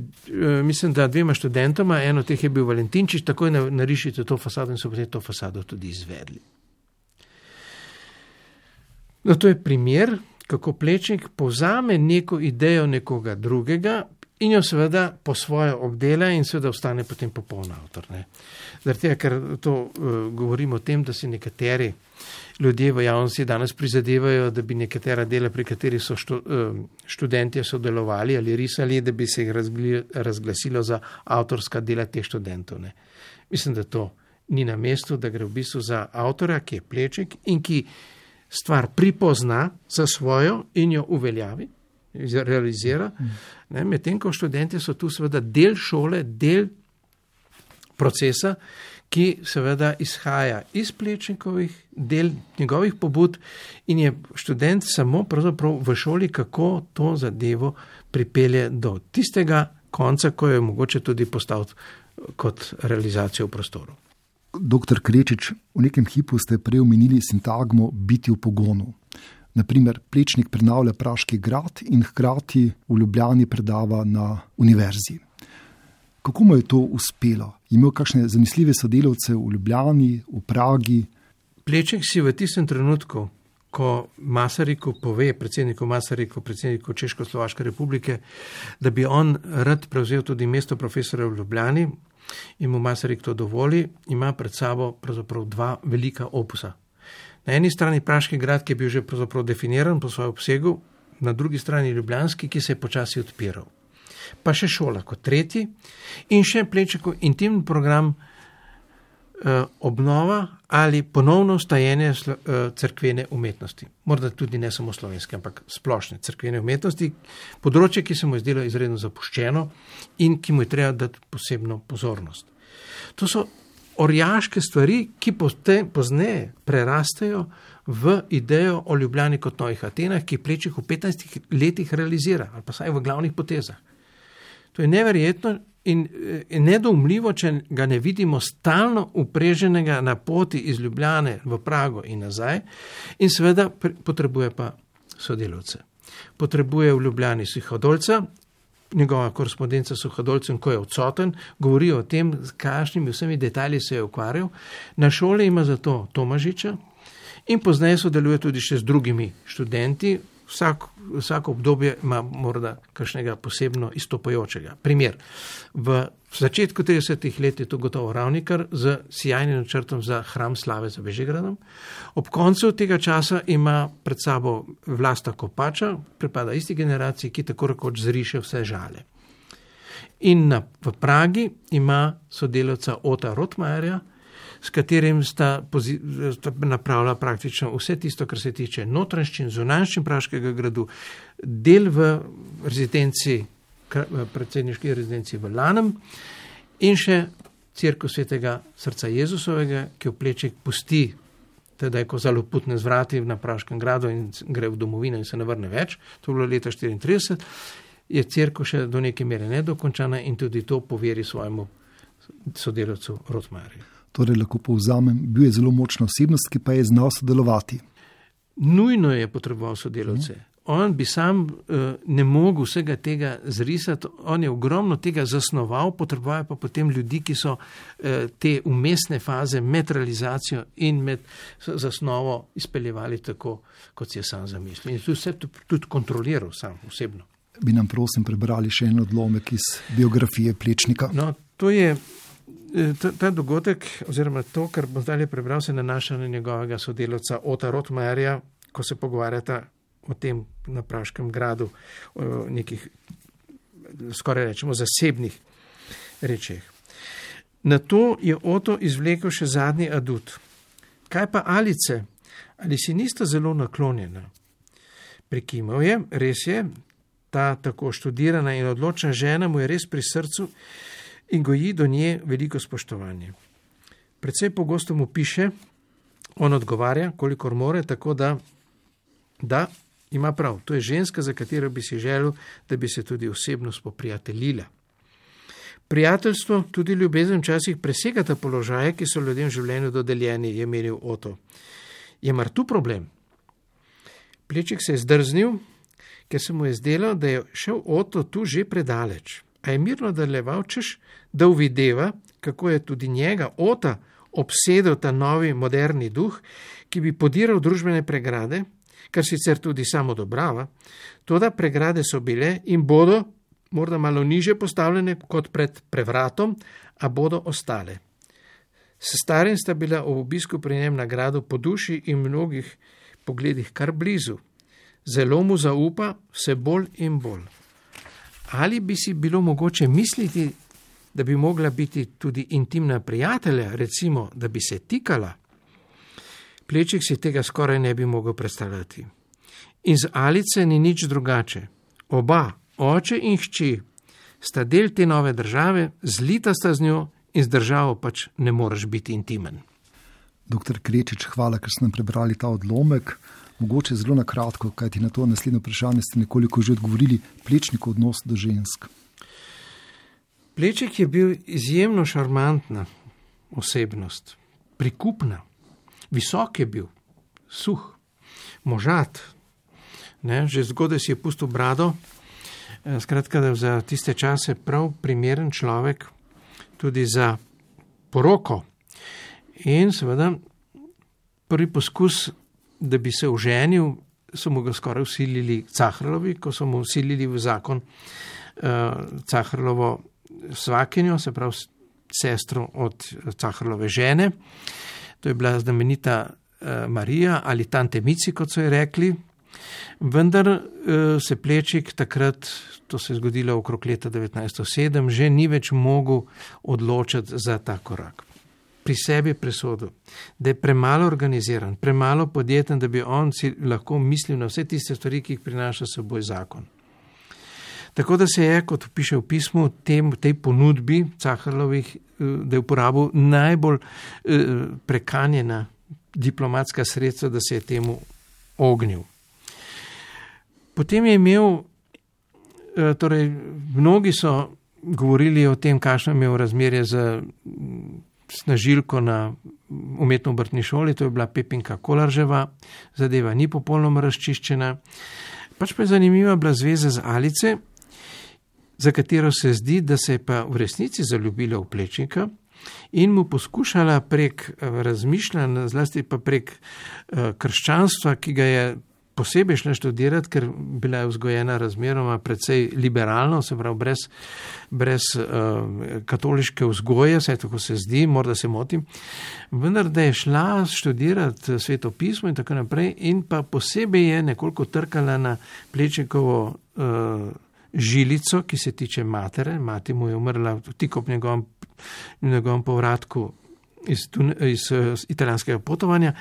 mislim, da 2 študentoma, eno teh je bil Valentinčič, takoj narišite to fasado in so potem to fasado tudi izvedli. No, to je primer, kako Plečnik povzame neko idejo nekoga drugega in jo seveda po svoje obdela in seveda ostane potem popoln avtor. Zaradi tega, ker to govorimo o tem, da si nekateri ljudje v javnosti danes prizadevajo, da bi nekatera dela, pri katerih so študentje sodelovali ali risali, da bi se jih razglasilo za avtorska dela teh študentov. Mislim, da to ni na mestu, da gre v bistvu za avtorja, ki je Plečnik in ki stvar pripozna za svojo in jo uveljavi, realizira. Medtem ko študentje so tu seveda del šole, del procesa, ki seveda izhaja iz Plečnikovih del, njegovih pobud in je študent samo pravzaprav v šoli, kako to zadevo pripelje do tistega konca, ko je mogoče tudi postaviti kot realizacijo v prostoru. Doktor Krečič, v nekem hipu ste prej omenili sintagmo biti v pogonu. Naprimer, Plečnik prenavlja Praški grad in hkrati v Ljubljani predava na univerzi. Kako mu je to uspelo? Imel kakšne zanesljive sodelavce v Ljubljani, v Pragi? Plečnik si v tistem trenutku, ko Masariku pove, predsedniku Masariku, predsedniku Češko-Slovaške republike, da bi on rad prevzel tudi mesto profesora v Ljubljani in mu Masaryk to dovoli, ima pred sabo pravzaprav 2 velika opusa. Na eni strani Praški grad, ki je bil že pravzaprav definiran po svojem obsegu, na drugi strani Ljubljanski, ki se je počasi odpiral. Pa še šola kot tretji in še Plečnikov intimni program obnova ali ponovno vstajenje cerkvene umetnosti. Morda tudi ne samo slovenske, ampak splošne cerkvene umetnosti, področje, ki se mu je zdelo izredno zapuščeno in ki mu je treba dati posebno pozornost. To so orjaške stvari, ki pozneje prerastejo v idejo o Ljubljani kot novih Atenah, ki Plečnik v 15 letih realizira, ali pa saj v glavnih potezah. To je neverjetno in nedoumljivo, če ga ne vidimo stalno upreženega na poti iz Ljubljane v Prago in nazaj, in seveda potrebuje pa sodelavce. Potrebuje v Ljubljani Suhodolca, njegova korespondenca s Suhodolcem, ko je odsoten, govori o tem, s kakšnimi vsemi detalji se je ukvarjal. Na šoli ima zato Tomažiča in pozneje sodeluje tudi še z drugimi študenti. Vsako obdobje ima morda kakšnega posebno izstopajočega. Primer, v začetku 30. let je to gotovo Ravnikar z sijajnim načrtom za hram slave za Bežigradom. Ob koncu tega časa ima pred sabo Vlasta Kopača, pripada isti generaciji, ki tako rekoč zriše vse žale. In v Pragi ima sodelavca Ota Rotmajerja, s katerim sta napravila praktično vse tisto, kar se tiče notranjščin, zunanjščin Praškega gradu, del v rezidenci, predsedniški rezidenci v Lanem in še cerkev Svetega srca Jezusovega, ki jo Plečnik pusti, teda ko zaloputne zvrati na Praškem gradu in gre v domovino in se ne vrne več, to je bilo leta 1934, je cerkev še do neke mere nedokončana in tudi to poveri svojemu sodelavcu Rotmajerju. Torej, lahko povzamem, bil je zelo močna osebnost, ki pa je znal sodelovati. Nujno je potreboval sodelavce. On bi sam ne mogel vsega tega zrisati, on je ogromno tega zasnoval, potreboval pa potem ljudi, ki so te umestne faze med realizacijo in med zasnovo izpeljevali tako, kot si je sam zamislil. In vse tudi kontroliral sam osebno. Bi nam prosim prebrali še en odlomek iz biografije Plečnika? No, to je ta dogodek, oziroma to, kar bom zdaj prebral, se nanaša na njegovega sodelavca Ota Rotmajerja, ko se pogovarjata o tem na Praškem gradu, o nekih, skoraj rečemo, zasebnih rečeh. Na to je Oto izvlekel še zadnji adut. Kaj pa Alice? Ali si nista zelo naklonjena? Prikimal je, res je, ta tako študirana in odločna žena mu je res pri srcu in goji do nje veliko spoštovanje. Predvsej pogosto mu piše, on odgovarja, kolikor more, tako da ima prav. To je ženska, za katero bi si želel, da bi se tudi osebno spoprijateljila. Prijateljstvo, tudi ljubezen včasih presegata položaje, ki so ljudem v življenju dodeljeni, je menil Oto. Je mar tu problem? Plečnik se je zdrznil, ker se mu je zdelo, da je šel Oto tu že predaleč. A je mirno nadaljeval, češ, da uvideva, kako je tudi njega, Ota, obsedel ta novi moderni duh, ki bi podiral družbene pregrade, kar sicer tudi samo odobrava, toda pregrade so bile in bodo morda malo niže postavljene kot pred prevratom, a bodo ostale. S starim sta bila ob obisku pri njem na gradu po duši in mnogih pogledih kar blizu. Zelo mu zaupa vse bolj in bolj. Ali bi si bilo mogoče misliti, da bi mogla biti tudi intimna prijatelja, recimo, da bi se tikala? Plečnik si tega skoraj ne bi mogel predstavljati. In z Alice ni nič drugače. Oba, oče in hči, sta del te nove države, zlita sta z njo in z državo pač ne moreš biti intimen. Doktor Krečič, hvala, ker ste nam prebrali ta odlomek. Mogoče zelo na kratko, kajti na to naslednje vprašanje ste nekoliko že odgovorili, Plečnikov odnos do žensk. Plečnik je bil izjemno šarmantna osebnost, prikupna, visok je bil, suh, možat, ne, že zgodaj si je pustil brado, skratka, da za tiste čase prav primeren človek tudi za poroko. In seveda prvi poskus, da bi se oženil, so mu ga skoraj vsilili Cahrlovi, ko so mu vsilili v zakon Cahrlovo svakinjo, se pravi sestro od Cahrlove žene. To je bila znamenita Marija ali tante Mici, kot so ji rekli. Vendar se Plečnik takrat, to se je zgodilo okrog leta 1907, že ni več mogel odločiti za ta korak. Pri sebi presodil, da je premalo organiziran, premalo podjeten, da bi on si lahko mislil na vse tiste stvari, ki jih prinaša s seboj zakon. Tako da se je, kot piše v pismu, tej ponudbi Cahrlovih, da je uporabil najbolj prekanjena diplomatska sredstva, da se je temu ognil. Potem je imel, torej mnogi so govorili o tem, kakšno je imel razmerje z snažilko na umetno-obrtni šoli, to je bila Pepinka Kolarževa, zadeva ni popolnoma razčiščena. Pač pa je zanimiva bila zveza z Alice, za katero se zdi, da se je pa v resnici zaljubila v Plečnika in mu poskušala prek razmišljanja, zlasti pa prek krščanstva, ki ga je posebej šla študirati, ker bila je vzgojena razmeroma precej liberalno, se pravi brez katoliške vzgoje, vse tako se zdi, morda se motim, vendar da je šla študirati Sveto pismo in tako naprej in pa posebej je nekoliko trkala na Plečnikovo žilico, ki se tiče matere. Mati mu je umrla tik ob njegovem povratku iz italijanskega potovanja,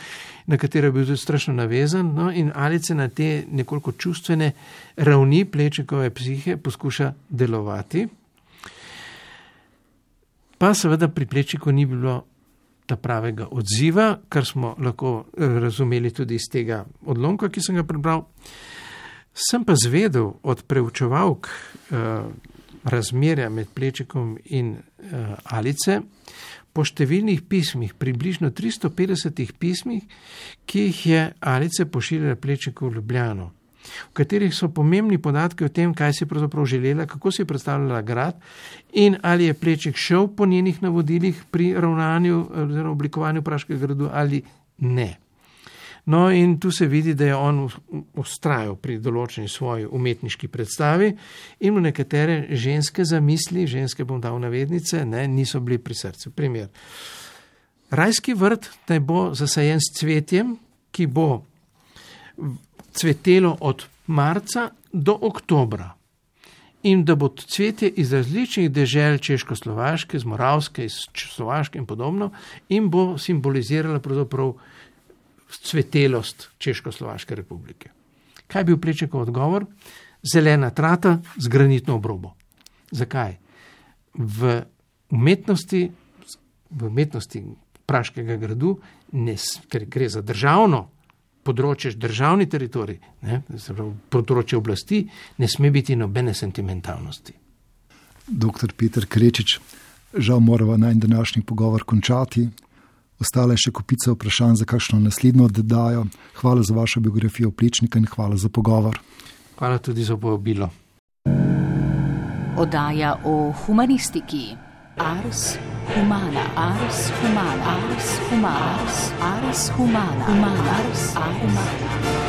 na katero je bil tudi strašno navezan, no, in Alice na te nekoliko čustvene ravni Plečnikove psihe poskuša delovati. Pa seveda pri Plečniku ni bilo ta pravega odziva, kar smo lahko razumeli tudi iz tega odlomka, ki sem ga prebral. Sem pa zvedel od preučevalk razmerja med Plečnikom in Alice po številnih pismih, približno 350 pismih, ki jih je Alice pošiljala Plečniku v Ljubljano, v katerih so pomembni podatki o tem, kaj si pravzaprav želela, kako si predstavljala grad in ali je Plečnik šel po njenih navodilih pri ravnanju oziroma oblikovanju Praškega gradu ali ne. No in tu se vidi, da je on vztrajal pri določeni svoji umetniški predstavi in v nekatere ženske zamisli, ženske bom dal navednice, ne, niso bili pri srcu. Primer. Rajski vrt naj bo zasajen s cvetjem, ki bo cvetelo od marca do oktobra. In da bo cvetje iz različnih dežel Češko-Slovaške, iz Moravske, iz Slovaške in podobno in bo simbolizirala pravzaprav cvetelost Češko-Slovaške republike. Kaj je bil Plečnikov odgovor? Zelena trata z granitno obrobo. Zakaj? V umetnosti Praškega gradu, ker gre za državno področje, državni teritorij, področje oblasti, ne sme biti nobene sentimentalnosti. Doktor Peter Krečič, žal morava najin današnji pogovor končati. Ostala je še kopica vprašanj za kakšno naslednjo oddajo. Hvala za vašo biografijo Plečnika in hvala za pogovor. Hvala tudi za povabilo. Oddaja o humanistiki. Ars humana, ars humana, ars humana, ars humana, ars humana.